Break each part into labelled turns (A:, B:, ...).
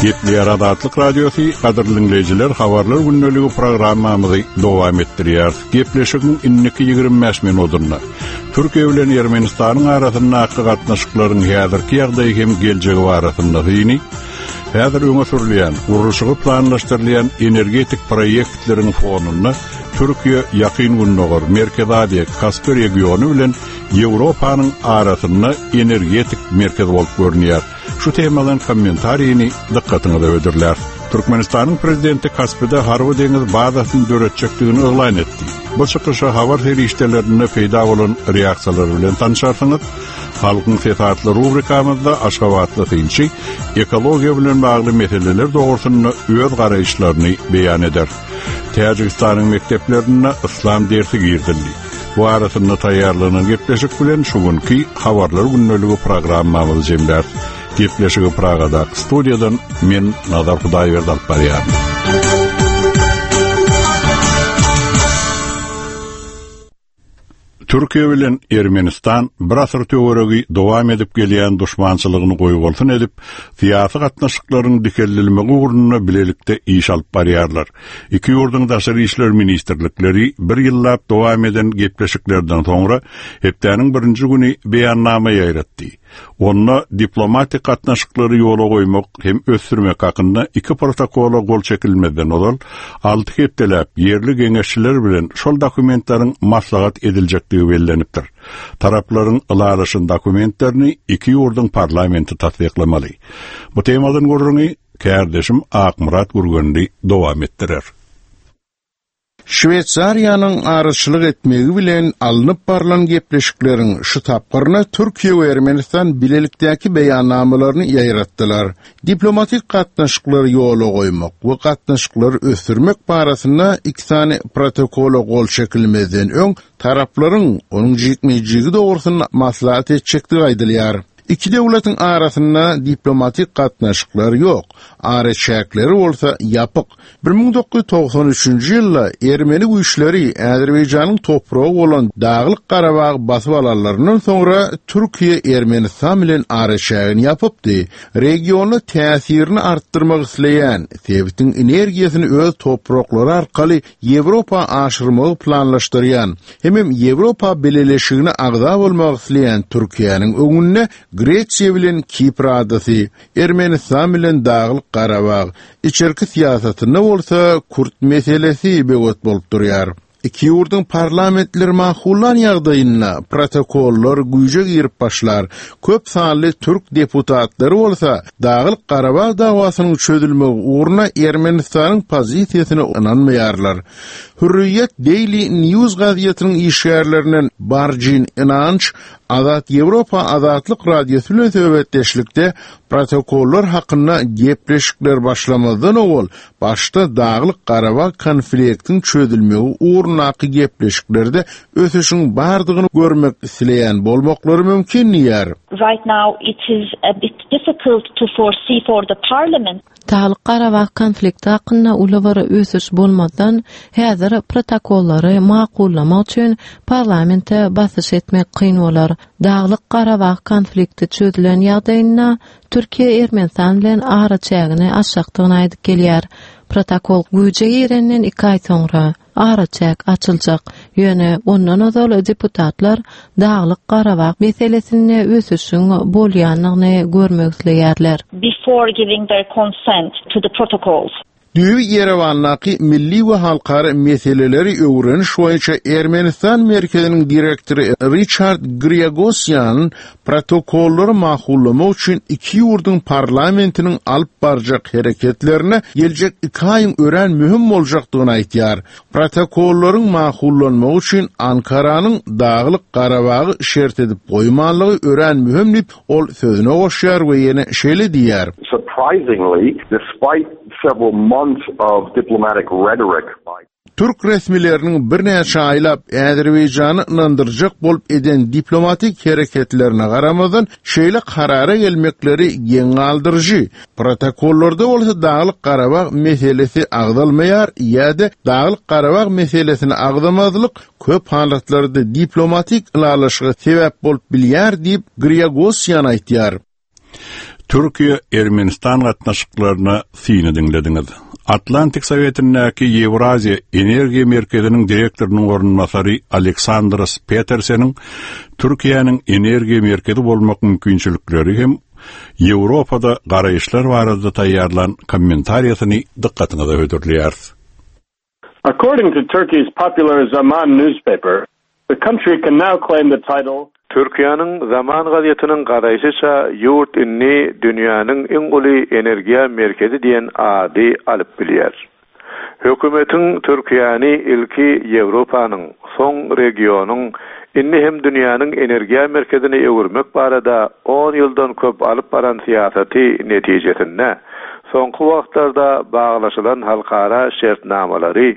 A: Gepleýär Azatlyk Radiosy, gadyrly diňleýjiler, habarlar gündeligi programmamyzy dowam etdirýäris. Gepleşigiň indiki 25 minutynda Türkiýe bilen Ermenistanyň arasyndaky gatnaşyklaryň häzirki ýagdaýy hem geljegi barasynda syny, häzir öňe sürülýän, gurluşygy planlaşdyrylýan energetik proýektleriň fonunda Türkiýe Ýakyn Gündogar, Merkezi Aziýa, Kaspi regiony bilen Ýewropanyň arasynda energetik merkez bolup görünýär. Şu temadan kommentarini dykgatyňyza hödürläris. Türkmenistanyň prezidenti Kaspide harby-deňiz bazasyny döretjekdigini yglan etdi. Bu çykyşa habar serişdelerinde peýda bolan reaksiýalar bilen tanşarsyňyz. Halkyň sesi atly rubrikamyzda aşgabatly synçy ekologiýa bilen bagly meseleler dogrusynda öz garaýyşlaryny beýan eder. Täjigistanyň mekdeplerinde yslam dersi girizildi. Bu arasynda taýýarlanan gepleşik bilen şu günki Habarlar gündeligi programmamyzy jemläris. Gepleşigi Pragadaky studiýadan men Nazar Hudaýberdi alyp barýaryn. Türkiýe bilen Ermenistan bir asyr töweregi dowam edip gelýän duşmançylygyny goýbolsun edip, syýasy gatnaşyklaryň dikeldilmegi ugrunda bilelikde iş alyp barýarlar. Iki ýurduň daşary işler ministrlikleri bir ýyllap dowam eden gepleşiklerden soňra hepdäniň birinji güni beýannama ýaýratdy. Onda diplomatik gatnaşyklary ýola goýmak hem ösdürmek hakynda iki protokola gol çekilmezden ozal, alty hepdeläp ýerli geňeşçiler bilen şol dokumentleriň maslahat ediljekdigi bellenipdir. Taraplaryň ylalaşan dokumentlerini iki ýurduň parlamenti tassyklamaly. Bu temadan gürrüňi kärdeşim Akmyrat Gürgenli dowam etdirer.
B: Şweýsariýanyň araçylyk etmegi bilen alnyp barlan gepleşikleriň şu tapgyryna Türkiýe we Ermenistan bilelikdäki beýannamalaryny ýaýratdylar. Diplomatik gatnaşyklary ýola goýmak we gatnaşyklary ösdürmek barasynda iki sany protokola gol çekilmezden öň taraplaryň onuň jikme-jigi dogrusynda maslahat etjekdigi aýdylýar. Iki döwletiň arasynda diplomatik gatnaşyklar ýok, araçäkleri bolsa ýapyk. 1993-nji ýylda ermeni güýçleri Azerbaýjanyň topragy bolan Daglyk Garabagy basyp alanlaryndan soňra Türkiýe Ermenistan bilen araçägini ýapypdy. Regionda täsirini artdyrmak isleýän, sebitiň energiýasyny öz topraklary arkaly Ýewropa aşyrmagy planlaşdyrýan hemem Ýewropa Bileleşigine agza bolmak isleýän Türkiýäniň öňünde Gresiýa bilen Kipr adasy, Ermenistan bilen Daglyk Garabag, içerki syýasatynda bolsa kürt meselesi böwet bolup durýar. Iki ýurduň parlamentleri makullan ýagdaýynda protokollar güýje girip başlar. Köp sanly türk deputatlary bolsa Daglyk Garabag dawasynyň çözülmegi ugrunda Ermenistanyň pozisiýasyna ynanmaýarlar. Hürriýet Daily News gazetiniň işgärlerinden Barjin Inanç Azat Ýewropa Azatlyk Radiosy bilen söhbetdeşlikde protokollar hakynda gepleşikler başlamazdan owal başda Daglyk Garabag konfliktiň çözülmegi ugrundaky gepleşiklerde ösüşiň bardygyny görmek isleýän bolmaklary mümkin diýýär.
C: Right now it is a bit difficult to foresee for the parliament.
D: Daglyk-Garabag konflikti hakynda uly bir ösüş bolmazdan, häzir protokollary makullamak üçin parlamente basyş etmek kyn bolar. Daglyk-Garabag konflikti çözülen ýagdaýynda, Türkiýe Ermenistan bilen araçägini açjakdygyny aýdyp gelýär. Protokol güýje girenden iki aý soňra, araçäk açyljak. Ýöne ondan ozal deputatlar Daglyk-Garabag meselesinde ösüşiň bolýandygyny görmek isleýärler.
C: Before giving their consent to the protocols.
B: Düýbi Ýerewandaky Milli we halkara meseleleri öwreniş boýunça Ermenistan merkeziniň direktory Riçard Griagosýan protokollary makullamak üçin iki ýurduň parlamentiniň alyp barjak hereketlerine geljek iki aýyň örän möhüm boljakdygyny aýdýar. Protokollaryň makullanmagy üçin Ankaranyň Daglyk Garabagy şert edip goýmanlygy örän möhüm diýip, ol sözüne goşýar we ýene şeýle diýýär.
E: Surprisingly, despite several months of diplomatic rhetoric by.
B: Türk resmileriniň birnäçe aýlap Azerbaýjany ynandyrjak bolup eden diplomatik hereketlerine garamazdan, şeýle karara gelmekleri geň galdyryjy. Protokollarda bolsa Daglyk-Garabag meselesi agzalmaýar ýa-da Daglyk-Garabag meselesini agzamazlyk köp halatlarda diplomatik ylalaşyga sebäp bolup bilýär diýip, Griagosýan aýtýar.
A: Türkiýe-Ermenistan gatnaşyklaryna syny diňlediňiz. Atlantik Sowetindäki Ýewraziýa energiýa merkeziniň direktorynyň orunbasary Aleksandros Peterseniň Türkiýäniň energiýa merkezi bolmak mümkinçilikleri hem Ýewropada garaýyşlar barada taýýarlan kommentariýasyny dykgatyňyza hödürleýäris.
F: According to Turkey's popular Zaman newspaper, the country can now claim the title
G: Türkiýäniň Zaman gazetiniň garaýşyça, ýurt indi dünýäniň iň uly energiýa merkezi diýen ady alyp bilýär. Hökümetiň Türkiýäni ilki Ýewropanyň, soň regionyň, indi hem dünýäniň energiýa merkezine öwürmek barada on ýyldan köp alyp baran syýasaty netijesinde soňky wagtlarda baglaşylan halkara şertnamalary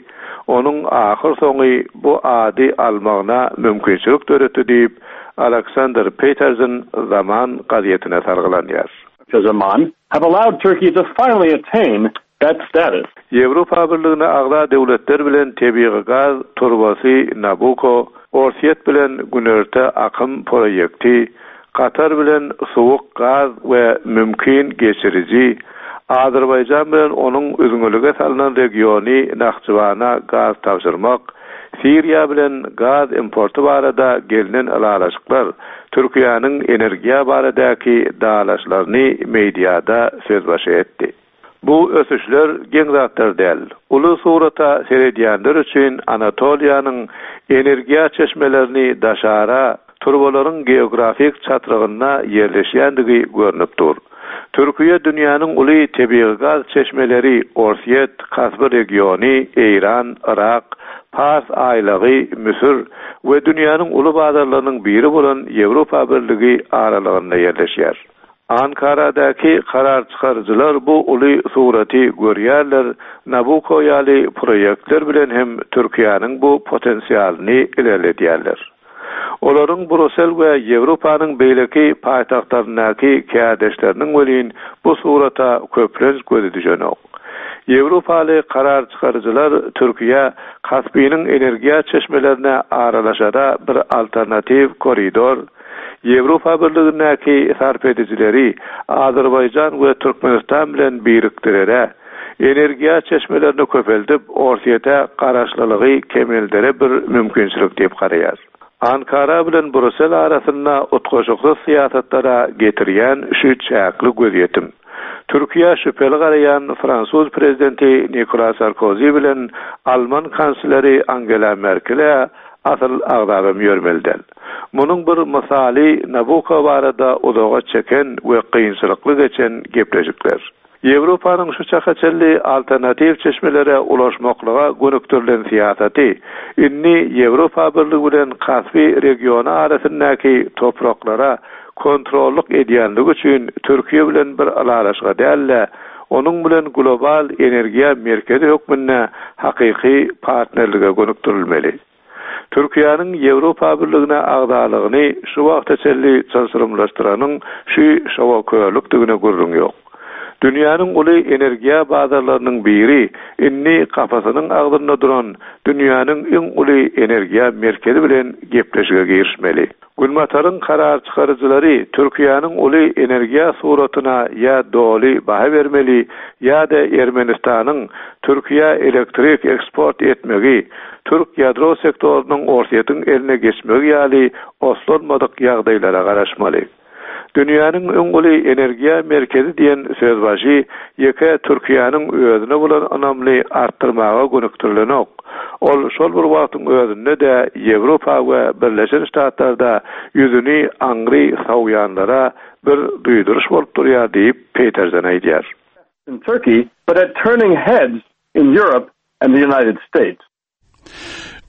G: onuň ahyrsoňy bu ady almagyna mümkinçilik döretdi diýip, Aleksander Petersen Zaman gazetine salgylanýar.
F: Zaman, have allowed Turkey to finally attain that status.
G: Ýewropa Birligine agza döwletler bilen tebigy gaz turbasy Nabucco, Orsýet bilen Günorta akym proýekti, Katar bilen suwuk gaz we mümkin geçiriji, Azerbaýjan bilen onuň üzňelige salnan regiony Nahçywana gaz tabşyrmak, Siriýa bilen gaz importy barada gelnen ylalaşyklar Türkiýäniň energiýa baradaky dalaşlaryny meýdiada sözbaşy etdi. Bu ösüşler geň zatlar däl. Uly surata seredýänler üçin Anatoliýanyň energiýa çeşmelerini daşara turbalaryň geografik çatrygynda ýerleşýändigi görnüp dur. Türkiýe dünýäniň uly tebigy gaz çeşmeleri Orsýet, Kasby regiony, Eýran, Yrak, Pars aýlagy, Müsür we dünýäniň uly bazarlarynyň biri bolan Ýewropa Birligi aralygynda ýerleşýär. Ankaradaky karar çykaryjylar bu uly suraty görýärler, Nabucco ýaly proýektler bilen hem Türkiýäniň bu potensialyny ilerledýärler. Olaryň Brusel we Ýewropanyň beýleki paýtagtlaryndaky kärdeşleriniň welin bu surata köplenç gözi düşenok. Ýewropaly karar çykaryjylar Türkiýä Kaspiniň energiýa çeşmelerine aralaşara bir alternatiw koridor, Ýewropa Birligindäki sarp edijileri Azerbaýjan we Türkmenistan bilen birikdirere, energiýa çeşmelerini köpeldip, Orsýete garaşlylygy kemeldere bir mümkinçilik diýip garaýar. Ankara bilen Brusel arasynda utgaşyksyz syýasatlara getirýän şu çäkli gözýetim. Türkiýä şübheli garaýan fransuz prezidenti Nikola Sarkozi bilen alman kansleri Angela Merkele asyl agzabam ýörmeli däl. Munuň bir mysaly Nabucco barada uzaga çeken we kynçylykly geçen gepleşikler. Ýewropanyň şu çaka çenli alternatiw çeşmelere ulaşmaklyga gönükdirilen syýasaty indi Ýewropa Birligi bilen Kaspi regiony arasyndaky topraklara kontrollyk edýänligi üçin Türkiýe bilen bir ylalaşyga däl-de, onuň bilen global energiýa merkezi hökmünde hakyky partnerlige gönükdirilmeli. Türkiýäniň Ýewropa Birligine agzalygyny şu wagta çenli çylşyrymlaşdyranyň şu şowakörlükdigine gürrüň ýok. Dünýäniň uly energiýa bazarlarynyň biri indi gapysynyň agzynda duran dünýäniň iň uly energiýa merkezi bilen gepleşige girişmeli. Günbataryň karar çykaryjylary Türkiýäniň uly energiýa suratyna ýa doly baha bermeli ýa-da Ermenistanyň Türkiýä elektrik eksport etmegi, türk ýadro sektorynyň Orsýetiň eline geçmegi ýaly oslanmadyk ýagdaýlara garaşmaly. Dünýäniň iň uly energiýa merkezi diýen sözbaşy ýeke Türkiýäniň özüne bolan ynamyny artdyrmaga gönükdirilenok. Ol şol bir wagtyň özünde-de Ýewropa we Birleşen Ştatlarda ýüzüni aňry sowýanlara bir duýduryş bolup durýar diýip, Petersen aýdýar.
F: in Turkey, but at turning heads in Europe and the United States.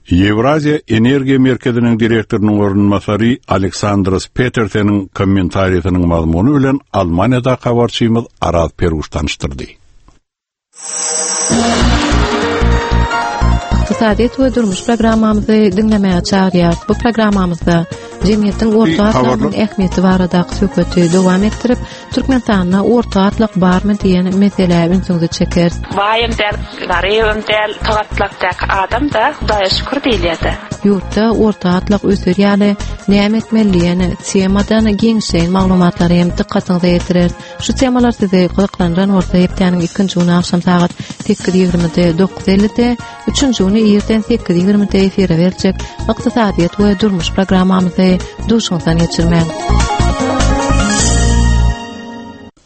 A: Ýewraziýa energiýa merkeziniň direktorynyň orunbasary Aleksandros Peterseniň kommentariýasynyň mazmuny bilen Almaniýadaky habarçymyz Araz Peruş tanyşdyrdy.
D: Ykdysadyýet we durmuş programmamyzy diňlemäge çagyrýarys. Bu programmamyzda. Jemgyýetiň orta gatlagynyň ähmiýeti baradaky söhbeti dowam etdirip, Türkmenistanda orta gatlak barmy diýen meselä ünsüňizi çekeris.
H: Baýam däl, garybam däl, orta gatlakdaky adam-da, Hudaýa şükür diýilýär-dä.
D: Ýurtda orta gatlak öser ýaly näme etmeli diýen temadan giňişleýin maglumatlary hem dykgatyňyza ýetireris. Şu temalar sizi gyzyklandyran bolsa hepdäniň ikinji güni agşam sagat 8:20-de 9:50-de, üçünji güni irden 8:20-de efire berjek Ykdysadyýet we durmuş programmamyzy duşuňyzdan geçirmäň.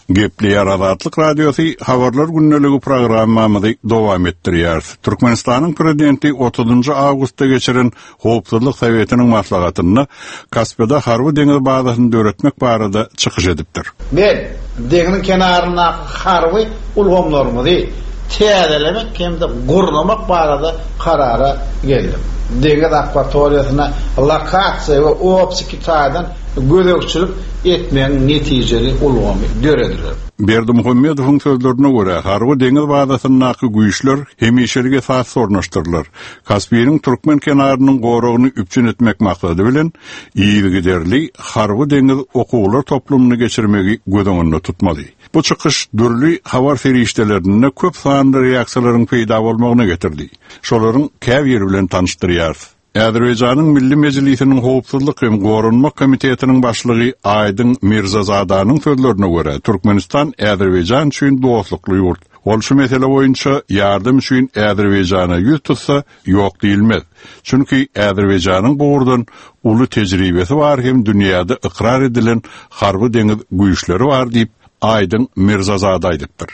A: Gepleýär Azatlyk Radiosy Habarlar gündeligi programmamyzy dowam etdirýäris. Türkmenistanyň Prezidenti 30-njy awgustda geçiren Howpsuzlyk Sowetiniň maslahatynda Kaspida harby deňiz bazasyny döretmek barada çykyş edipdir.
I: Men deňziň kenaryndaky harby ulgamlarymyzy täzelemek hem-de gurnamak barada karara geldim. Deňiz akwatoriýasyna lokasiýa we optiki taýdan gözegçilik etmegiň netijeli ulgamy dörediler.
A: Berdimuhamedowyň sözlerine görä, harby deňiz bazasyndaky güýçler hemişelik esasda ornaşdyrylar. Kaspiniň türkmen kenarynyň goragyny üpjün etmek maksady bilen, yzygiderli harby-deňiz okuwlar toplumyny geçirmegi göz öňünde tutmaly. Bu çykyş dürli habar serişdelerinde köp sanly reaksiýalaryň peýda bolmagyna getirdi. Şolaryň käbiri bilen tanyşdyrýarys. Azerbaýjanyň Milli Mejlisiniň Howpsuzlyk hem Goranmak komitetiniň başlygy Aýdyň Mirzazadanyň sözlerine görä, Türkmenistan Azerbaýjan üçin dostlukly ýurt. Ol şu mesele boýunça ýardam üçin Azerbaýjana ýüz tutsa, ýok diýilmez. Çünki Azerbaýjanyň bu ugurdan uly tejribesi bar hem dünýäde ykrar edilen harby-deňiz güýçleri bar diýip, Aýdyň Mirzazada aýdypdyr.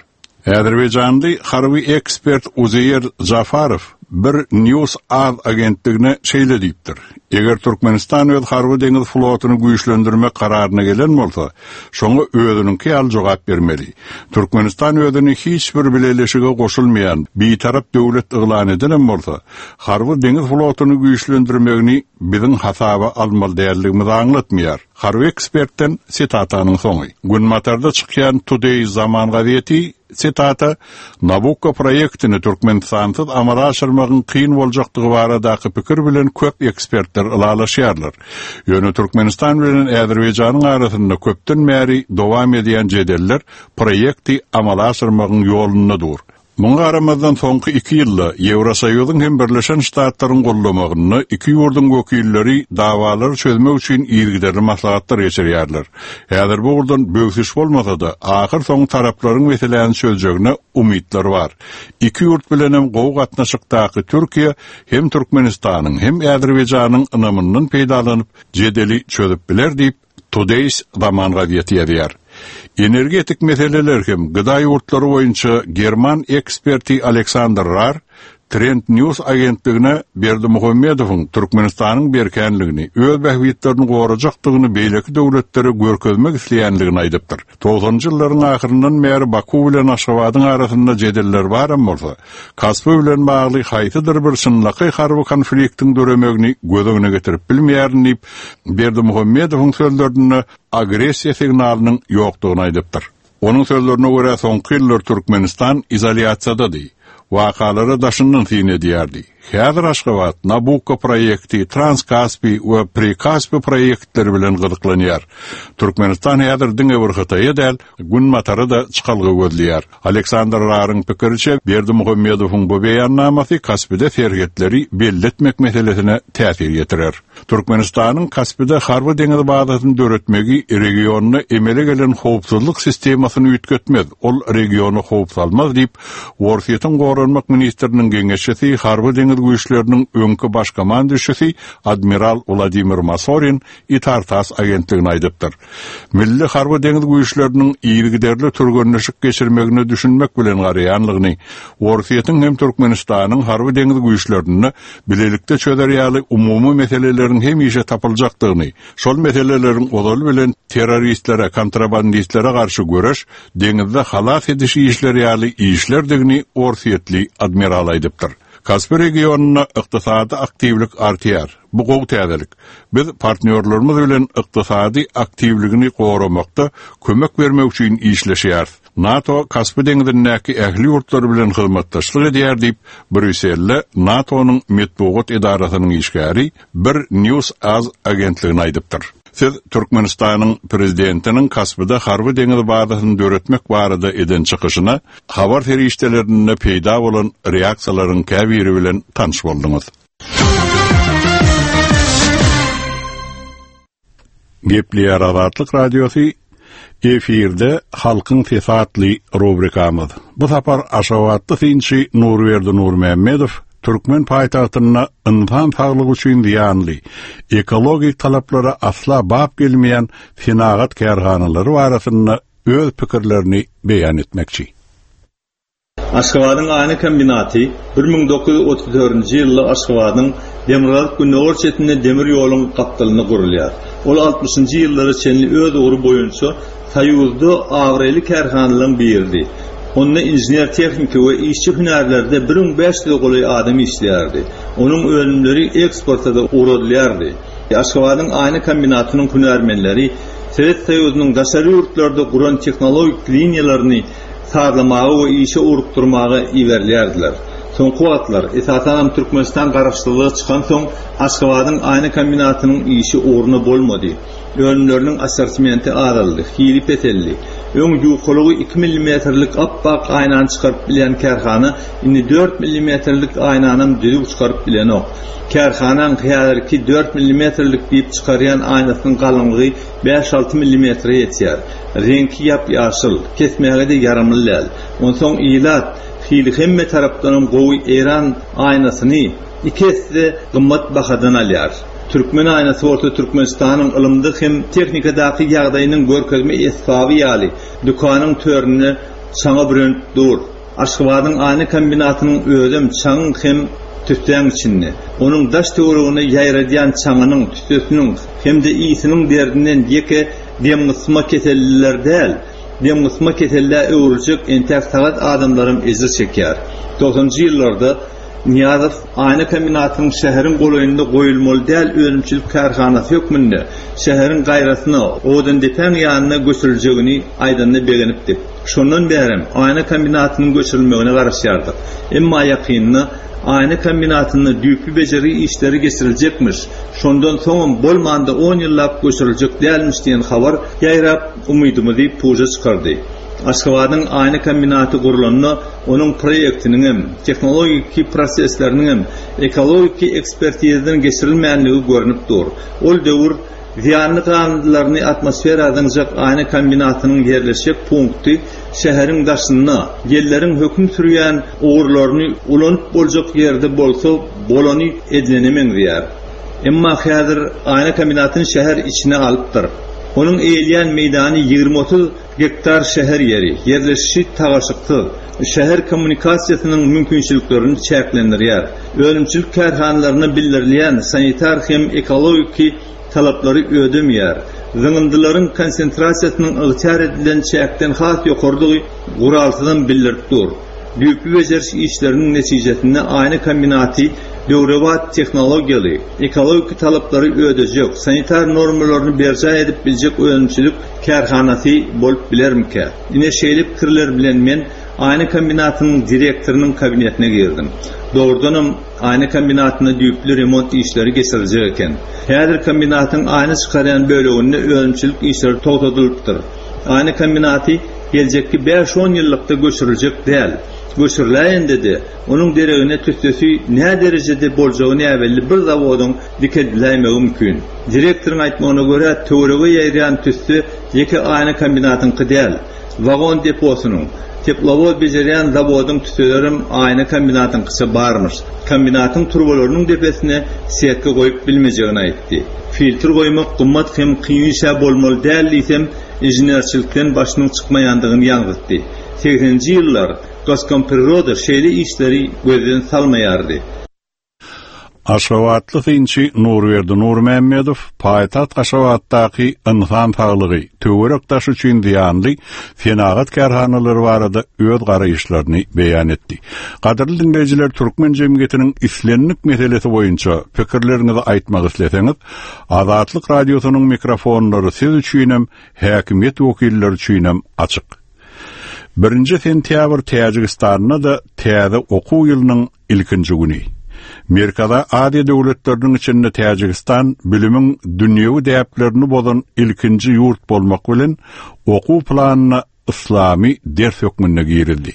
A: Azerbaýjanly harby ekspert Uzeýer Jafarow bir News Az agentligine şeýle diýipdir, Eger Türkmenistan öz harby-deňiz flotuny güýçlendirmek kararyna gelen bolsa, şoňa özüniňki ýaly jogap bermeli. Türkmenistan özüni hiç bir bileleşige goşulmaýan bitarap döwlet yglan edenem bolsa, harby-deňiz flotuny güýçlendirmegini biziň hasaba almaly däldigimizi aňlatmaýar. Harby ekspertden sitatanyň soňy. Günbatarda çykýan Today's Zaman gazeti, sitata, Nabukko proýektini Türkmenistansyz amala aşyrmagyň kyn boljakdygy baradaky pikir bilen köp ekspertler ylalaşýarlar. Ýöne Türkmenistan bilen Azerbaýjanyň arasynda köpden bäri dowam edýän jedeller proýekti amala aşyrmagyň ýolunda dur. Muňa garamazdan, soňky iki ýylda Ýewrosoýuzyň hem Birleşen Ştatlaryň gollamagynda iki ýurduň wekilleri dawalary çözmek üçin yzygiderli maslahatlar geçirýärler. Häzir bu ugurdan böwsüş bolmasa-da, ahyrsoňy taraplaryň meseläni çözjegine umytlar bar. Iki ýurt bilenem gowy gatnaşykdaky Türkiýe hem Türkmenistanyň, hem Azerbaýjanyň ynamyndan peýdalanyp, jedeli çözüp biler diýip, Today's Zaman gazeti ýazýar. Energetik meseleler hem gda ýurtlary boýunça german eksperti Aleksandr Rar Trend News agentligine Berdimuhamedowyň Türkmenistanyň berkänligini, öz bähbitlerini gorajakdygyny beýleki döwletlere görkezmek isleýänligini aýdypdyr. Togsanynjy ýyllaryň ahyryndan bäri Baku bilen Aşgabadyň arasynda jedeller baram bolsa, Kaspi bilen bagly haýsydyr bir çynlakaý harby konfliktiň döremegini göz öňüne getirip bilmeýärin diýip, Berdimuhamedowyň sözlerinde agressiýa signalynyň ýokdugyny aýdypdyr. Onuň sözlerine görä, soňky ýyllar Türkmenistan izolýasiýadady, wakalara daşyndan syn edýärdi. Häzir Aşgabat Nabukko proýekti, Transkaspi we Prikaspi proýektleri bilen gyzyklanýar. Türkmenistan häzir diňe bir Hytaýa däl, Günbatara-da çykalga gözleýär. Aleksandr Raryň pikiriçe, Berdimuhamedowyň bu beýannamasy Kaspide serhetleri belli etmek meselesine täsir ýetirer. Türkmenistanyň Kaspide harby-deňiz bazasyny döretmegi regionda emele gelen howpsuzlyk sistemasyny üýtgetmez, ol regiona howp salmaz diýip, Orsýetiň goranmak ministriniň geňeşçisi, harby-deňiz güýçleriniň öňki baş komandüşisi admiral Wladimir Masorin Itar-tass agentligine aýdypdyr. Milli harby-deňiz güýçleriniň yzygiderli türgenleşik geçirmegine düşünmek bilen garaýanlygyny, Orsýetiň hem Türkmenistanyň harby-deňiz güýçlerinde bilelikde çözer ýaly umumy meseleleriň hemişe tapyljakdygyny, şol meseleleriň ozaly bilen terroristlere, kontrabandistlere garşy göreş, deňizde halas ediş işleri ýaly işlerdigini orsýetli admiral aýdypdyr. Kaspi regionynda ykdysady aktiwlik artýar. Bu gowy täzelik. Biz partnýorlarymyz bilen ykdysady aktiwligini goramakda kömek bermek üçin işleşýäris. NATO Kaspi deňzindäki ähli ýurtlar bilen hyzmatdaşlyk edýär diýip, Brýusselde NATO-nyň metbugat edarasynyň işgäri bir News Az agentligine aýdypdyr. Siz Türkmenistanyň Prezidentiniň Kaspide harby-deňiz bazasyny döretmek barada eden çykyşyna habar serişdelerinde peýda bolan reaksiýalaryň käbiri bilen tanyş bolduňyz. Gepleýär Azatlyk Radiosy, efirde Halkyň sesi atly rubrikamyz. Bu sapar aşgabatly synçy Nurberdi Nurmämmedow türkmen paýtagtynda ynsan saglygy üçin zyýanly, ekologik talaplara asla bap gelmeýän senagat kärhanalary barasynda öz pikirlerini beýan etmekçi.
J: Aşgabadyň aýna kombinaty 1934-nji ýylda Aşgabadyň demirgazyk-gündogar çetinde demir ýoluň gapdalynda gurulýar. Ol altmyşynjy ýyllara çenli öz ugry boýunça Soýuzda abraýly kärhanalaryň biridi. Onda inžener-tehniki we işçi hünärlerde 1500-e golaý adam işleýärdi. Onuň önümleri eksporta-da ugradylýardy. Aşgabadyň aýna kombinatynyň hünärmenleri Sowet Soýuzynyň daşary ýurtlarda guran tehnologik liniýalaryny sazlamaga we işe ugrukdyrmaga iberilýärdiler. Soňky wagtlar, esasanam Türkmenistan garaşsyzlyga çykansoň, Aşgabadyň aýna kombinatynyň işi ugruna bolmady. Önümleriniň assortimenti azaldy, hili peseldi. Öň ýukalygy iki millimetrlik ap-ak aýnany çykaryp bilýän kärhana indi dört millimetrlik aýnanam düzüw çykaryp bilenok. Kärhanaň häzirki dört millimetrlik diýip çykarýan aýnasynyň galyňlygy bäş-alty millimetre ýetýär. Reňki ýap-ýaşyl, kesmäge-de ýaramly däl. Onsoň ilat hili hemme tarapdanam gowy eýran aýnasyny iki esse gymmat bahadan alýar. Türkmen aýnasy bolsa Türkmenistanyň ylymda hem tehnikadaky ýagdaýynyň görkezme esbaby ýaly dükanyň töründe çaňa bürenip dur. Aşgabadyň aýna kombinatynyň özem çaňyň hem tüssäň içinde. Onuň daş-töweregine ýaýradýan çaňynyň, tüssesiniň hem-de ysynyň derdinden ýeke demgysma keselliler däl, demgysma kesellä öwrüljek entäk sagat adamlaram ejir çekýär. Togsanjy ýyllarda Nyýazow aýna kombinatynyň şäheriň golaýynda goýulmaly däl önümçilik kärhanasy hökmünde şäheriň gaýrasyna, Owadandepäň ýanyna göçüriljegini aýdanyna begenipdik. Şondan bärem aýna kombinatynyň göçürilmegine garaşýardyk. Emma ýakynda aýna kombinatynda düýpli bejergi işleri geçiriljekmiş, şondan soňam bolmanda on ýyllap göçüriljek dälmiş diýen habar ýaýrap, umydymyzy puja çykardy. Aşgabadyň aýna kombinaty gurlanda onuň proýektiniňem, tehnologiki prosesleriniňem ekologiki ekspertizadan geçirilmänligi görnüp dur. Ol döwür Zyýanly galyndylaryny atmosfera zyňjak aýna kombinatynyň ýerleşjek punkty şäheriň daşynda, ýelleriň höküm sürýän ugurlaryny ulanyp boljak ýerde bolsa bolany edilene meňzeýär. Emma häzir aýna kombinatyny şäher içine alypdyr. Onuň eýeleýän meýdany 20-30 gektar şäher ýeri, ýerleşişi tagaşyksyz, şäher kommunikasiýasynyň mümkinçiliklerini çäklendirýär. Önümçilik kärhanalaryna bildirilýän sanitar hem ekologiki talaplary ödemeýär. Zyňyndylaryň konsentrasiýasynyň ygtyýar edilen çäkden has ýokarydygy guralsyzam bildirip dur. Düýpli bejeriş işleriniň netijesinde aýna kombinaty döwrebap tehnologiýaly, ekologiki talaplary ödejek, sanitar normalaryny berjaý edip biljek önümçilik kärhanasy bolup bilermikä? Ine şeýle pikirler bilen men aýna kombinatynyň direktorynyň kabinetine girdim. Dogrudanam, aýna kombinatynda düýpli remont işleri geçiriljek eken. Häzir kombinatyň aýna çykarýan böleginde önümçilik işleri togtadylypdyr. Aýna kombinaty geljekki bäş-on ýyllykda göçüriljek däl. Göçüriläýende-de, onuň deregine tüssesi näderejede boljagy näbelli bir zawodyň dikeldiläýmegi mümkin. Direktoryň aýtmagyna görä, töwerege ýaýraýan tüsse ýeke aýna kombinatyňky däl. Wagon deposynyň, teplowoz bejerýän zawodyň tüsselerem aýna kombinatyňkyça barmyş. Kombinatyň turbalarynyň depesine setka goýup bilmejegini aýtdy. Filtr goýmak gymmat hem kyn iş-ä bolmaly däl diýsem, inženerçilikden başynyň çykmaýandygyny ýaňzytdy. Segseninji ýyllar Goskompriroda şeýle işleri gözden salmaýardy.
A: Aşgabatly synçy Nurberdi Nurmämmedow paýtagt Aşgabatdaky ynsan saglygy, töwerek-daş üçin zyýanly senagat kärhanalary barada öz garaýyşlaryny beýan etdi. Gadyrly diňleýjiler, türkmen jemgyýetiniň islendik meselesi boýunça pikirleriňizi aýtmak isleseňiz, Azatlyk Radiosynyň mikrofonlary siz üçinem, häkimiýet wekilleri üçinem açyk. Birinji sentýabr Täjigistanda-da täze okuw ýylynyň ilkinji güni. Merkezi Aziýa döwletleriniň içinde Täjigistan bilimiň dünýewi däplerini bozan ilkinji ýurt bolmak bilen, okuw planyna yslamy ders hökmünde girizdi.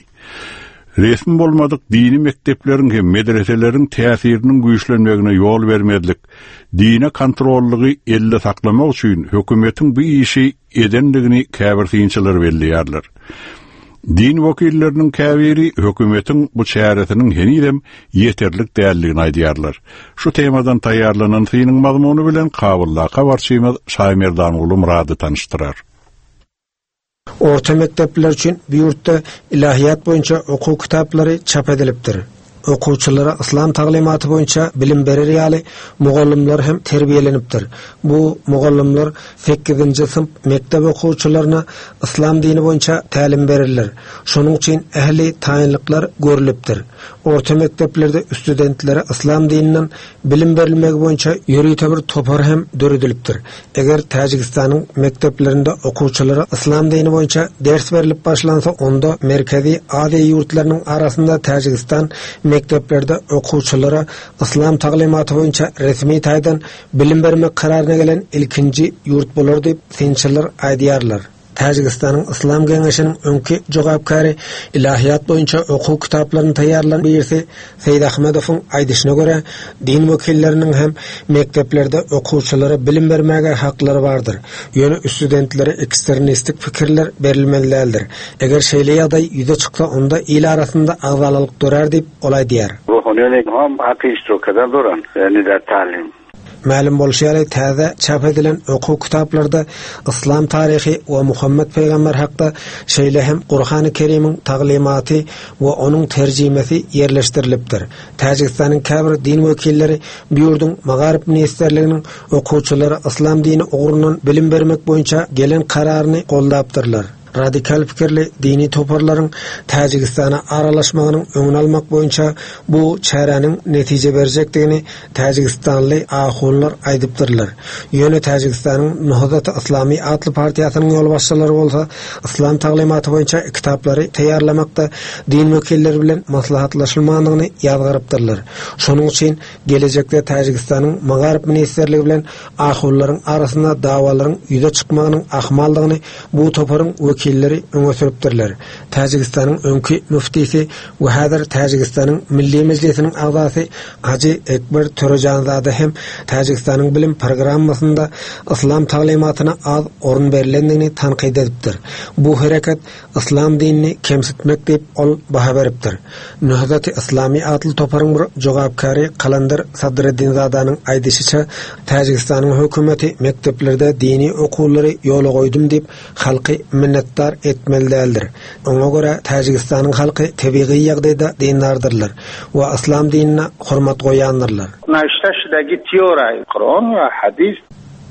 A: Resmi bolmadyk dini mekdepleriň hem medreseleriň täsiriniň güýçlenmegine ýol bermezlik, dine kontrollygy elde saklamak üçin hökümetiň bu işi edendigini käbir synçylar belleýärler. Din wekilleriniň käbiri hökümetiň bu çäresiniň henizem ýeterlik däldigini aýdýarlar. Şu temadan taýýarlanan synyň mazmuny bilen Kabuldaky habarçymyz Şaýmerdanguly Myrady tanyşdyrar.
K: Orta mekdepler üçin bu ýurtda ilahiýat boýunça okuw kitaplary çap edilipdir. Okuwçylara yslam taglymaty boýunça bilim berer ýaly mugallymlar hem terbiýelenipdir. Bu mugallymlar sekizinji synp mekdep okuwçylaryna yslam dini boýunça tälim bererler. Şonuň üçin ähli taýynlyklar görlüpdir. Orta mekdeplerde studentlere yslam dininden bilim berilmegi boýunça ýörite bir topar hem döredilipdir. Eger Täjigistanyň mekdeplerinde okuwçylara yslam dini boýunça ders berlip başlansa, onda Merkezi Aziýa ýurtlarynyň arasynda Täjigistan mekdeplerde okuwçylara yslam taglymaty boýunça resmi taýdan bilim bermek kararyna gelen ilkinji ýurt bolar diýip, synçylar aýdýarlar. Täjigistanyň Yslam geňeşiniň öňki jogapkäri, ilahiýat boýunça okuw kitaplaryny taýýarlan birisi Seýidahmedowyň aýdyşyna görä, din wekilleriniň hem mekdeplerde okuwçylara bilim bermäge haklary bardyr. Ýöne studentlere ekstremistik pikirler berilmeli däldir. Eger şeýle ýagdaý ýüze çyksa, onda il arasynda agzalalyk dörär diýip, ol aýdýar. Mälim bolşy ýaly, täze çap edilen okuw kitaplarda yslam taryhy we Muhammet pygamber hakda, şeýle hem Gurhany Kerimiň taglymaty we onuň terjimesi ýerleşdirilipdir. Täjigistanyň käbir din wekilleri bu ýurduň Magaryf ministrliginiň okuwçylara yslam dini ugrundan bilim bermek boýunça gelen kararyny goldapdyrlar. Radikal pikirli dini toparlaryň Täjigistana aralaşmagynyň öňüni almak boýunça bu çäräniň netije berjekdigini täjigistanly ahunlar aýdypdyrlar. Ýöne Täjigistanyň Nohzat-y Yslamy atly partiýasynyň ýolbaşçylary bolsa yslam taglymaty boýunça kitaplary taýýarlamakda din wekilleri bilen maslahatlaşylmandygyny ýazgarypdyrlar. Şonuň üçin gelejekde Täjigistanyň Magaryf ministrligi bilen ahunlaryň arasynda dawalaryň ýüze çykmagynyň ahmaldygyny bu toparyň wekilleri öňe sürüpdirler. Täjigistanyň öňki müftisi we häzir Täjigistanyň Milli Mejlisiniň agzasy Hajy Ekber Törejanzada hem Täjigistanyň bilim programmasynda yslam taglymatyna az orun berlendigini tankyt edipdir. Bu hereket yslam dinini kemsitmek diýip, ol baha beripdir. Nehzat-i Yslamy atly toparyň bir jogapkäri Kalandar Sadreddinzadanyň aýdyşyça, Täjigistanyň hökümeti mekdeplerde dini okuwlary ýola goýdum diýip, halky minnetdar etmeli däldir. Oňa görä, Täjigistanyň halky tebigy ýagdaýda dindardyrlar we yslam dinine hormat goýýandyrlar.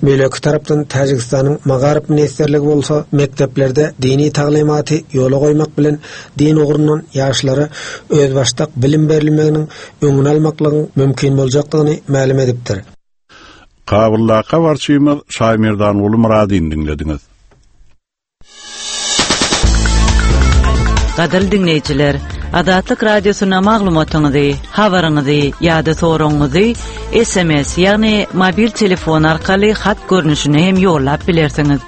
K: Beýleki tarapdan Täjigistanyň Magaryf ministrligi bolsa mekdeplerde dini taglymaty ýola goýmak bilen din ugrundan ýaşlara özbaşdak bilim berilmeginiň öňüni almaklygyň mümkin boljakdygyny mälim edipdir.
A: Kabuldaky habarçymyz Şaýmerdanguly Myradyny diňlediňiz.
L: Gadyrly diňleýjiler, Azatlyk Radiosyna maglumatyňyzy, habaryňyzy ýa-da soragyňyzy SMS, ýagny mobil telefon arkaly hat görnüşinde hem ýollap bilersiňiz.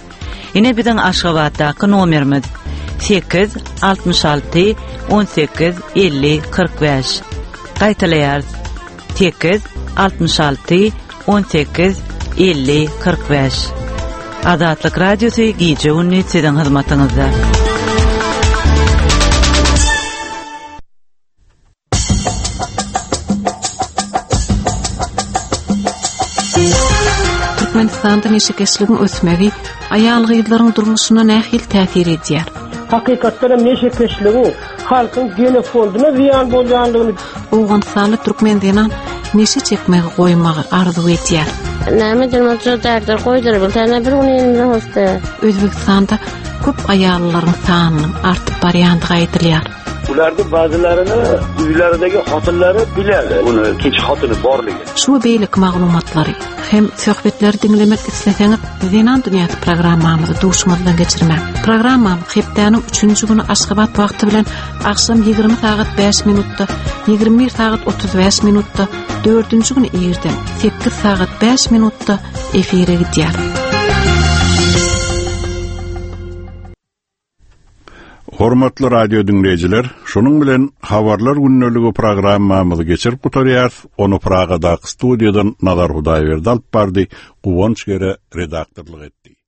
L: Ine biziň Aşgabatdaky nomerimiz 8 66 18 50 45. Gaýtalaýarys. 8 66 18 50 45. Azatlyk Radiosy gije-gündiz siziň hyzmatyňyzda.
D: Türkmenistanda neşekeşligiň ösmegi aýal-gyzlaryň durmuşyna nähili täsir edýär?
M: Hakykatdan hem neşekeşligiň halkyň genofondyna zyýan bolýandygyny
D: Owganystanly türkmen zenan neşe çekmegi goýmagy arzuw edýär.
N: Näme ederim şo därde goýdur bilsene bir gün elinde hoşda.
D: Özbegistanda köp aýallaryň sanynyň artyp barýandygy aýdylýar.
O: Ularni ba'zilarini uylaridagi xotinlari biladi uni ikkinchi xotini borligini.
P: Şu we beýleki maglumatlary hem söhbetleri diňlemek isleseňiz Zenan dünýäsi programmamyzy duşuňyzdan geçirmäň. Programmamyz hepdäniň üçünji güni Aşgabat wagty bilen agşam 20 sagat 5 minutda, 21 sagat 35 minutda, dördünji güni irden 8 sagat 5 minutda efire gidýär.
A: Hormatly radio diňleýjiler, şunuň bilen Habarlar gündeligi programmamyzy geçirip gutarýarys. Ony Pragadaky studiýadan Nazar Hudaýberdi alyp bardy, Guwanç Gere redaktorlyk etdi.